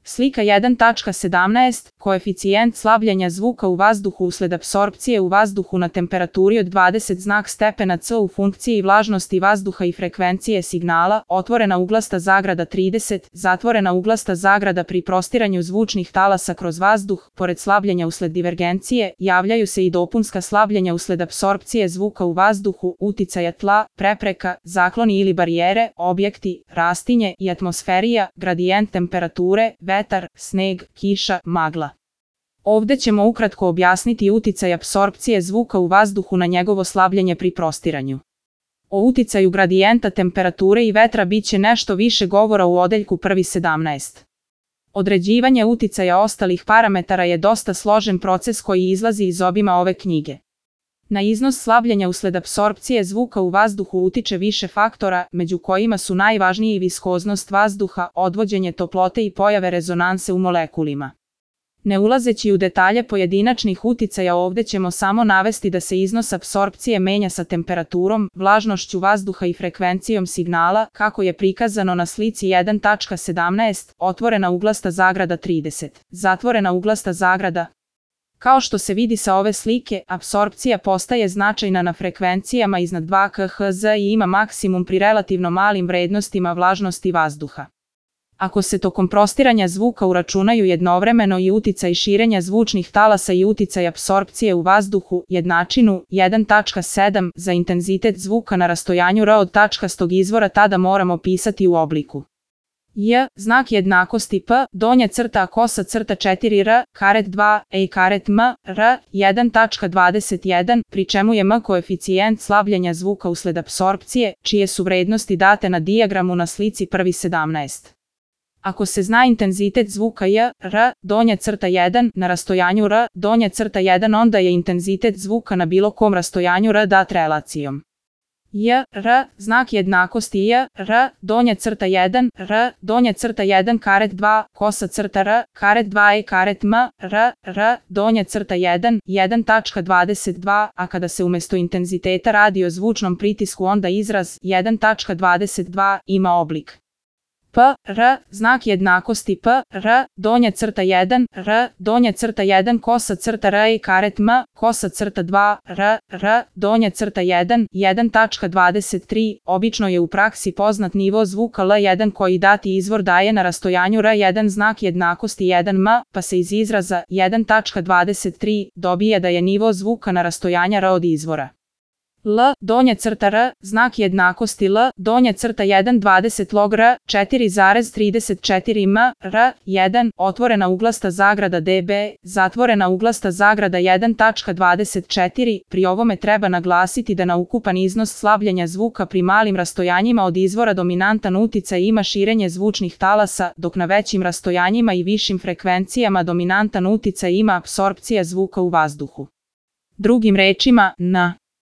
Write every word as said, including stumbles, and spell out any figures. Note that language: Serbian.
Slika jedan tačka sedamnaest. Koeficijent slabljenja zvuka u vazduhu usled apsorpcije u vazduhu na temperaturi od dvadeset znak stepena C u funkciji vlažnosti vazduha i frekvencije signala, otvorena uglasta zagrada trideset, zatvorena uglasta zagrada pri prostiranju zvučnih talasa kroz vazduh, pored slabljenja usled divergencije, javljaju se i dopunska slabljenja usled apsorpcije zvuka u vazduhu, uticaja tla, prepreka, zakloni ili barijere, objekti, rastinje i atmosferija, gradijent temperature, vetar, sneg, kiša, magla. Ovde ćemo ukratko objasniti uticaj apsorpcije zvuka u vazduhu na njegovo slabljenje pri prostiranju. O uticaju gradijenta temperature i vetra bit će nešto više govora u odeljku prvi sedamnaest. Određivanje uticaja ostalih parametara je dosta složen proces koji izlazi iz obima ove knjige. Na iznos slabljenja usled apsorpcije zvuka u vazduhu utiče više faktora, među kojima su najvažniji viskoznost vazduha, odvođenje toplote i pojave rezonanse u molekulima. Ne ulazeći u detalje pojedinačnih uticaja, ovde ćemo samo navesti da se iznos apsorpcije menja sa temperaturom, vlažnošću vazduha i frekvencijom signala, kako je prikazano na slici jedan tačka sedamnaest, otvorena uglasta zagrada trideset, zatvorena uglasta zagrada. Kao što se vidi sa ove slike, apsorpcija postaje značajna na frekvencijama iznad dva kiloherca i ima maksimum pri relativno malim vrednostima vlažnosti vazduha. Ako se tokom prostiranja zvuka uračunaju jednovremeno i uticaj širenja zvučnih talasa i uticaj apsorpcije u vazduhu, jednačinu jedan tačka sedam za intenzitet zvuka na rastojanju R od tačkastog izvora, tada moramo pisati u obliku J, znak jednakosti P, donja crta kosa crta četiri R, karet dva, E karet M, R, jedan tačka dvadeset jedan, pri čemu je M koeficijent slabljenja zvuka usled apsorpcije, čije su vrednosti date na dijagramu na slici prvi sedamnaest. Ako se zna intenzitet zvuka J, R, donja crta jedan, na rastojanju R, donja crta jedan, onda je intenzitet zvuka na bilo kom rastojanju R dat relacijom J, R, znak jednakosti J, R, donja crta jedan, R, donja crta jedan karet dva, kosa crta R, karet dva, E karet M, R, R, donja crta jedan, jedan tačka dvadeset dva, a kada se umjesto intenziteta radi o zvučnom pritisku, onda izraz jedan tačka dvadeset dva ima oblik P, R, znak jednakosti P, R, donja crta jedan, R, donja crta jedan, kosa crta R, E karet M, kosa crta dva, R, R, donja crta jedan, jedan tačka dvadeset tri, obično je u praksi poznat nivo zvuka L jedan koji dati izvor daje na rastojanju R jedan znak jednakosti jedan M, pa se iz izraza jedan tačka dvadeset tri dobije da je nivo zvuka na rastojanja R od izvora L, donja crta R, znak jednakosti L, donja crta jedan dvadeset log R, četiri zarez trideset četiri M, R, jedan, otvorena uglasta zagrada D B, zatvorena uglasta zagrada jedan tačka dvadeset četiri, pri ovome treba naglasiti da na ukupan iznos slabljenja zvuka pri malim rastojanjima od izvora dominantan uticaj ima širenje zvučnih talasa, dok na većim rastojanjima i višim frekvencijama dominantan uticaj ima apsorpcija zvuka u vazduhu. Drugim rečima, na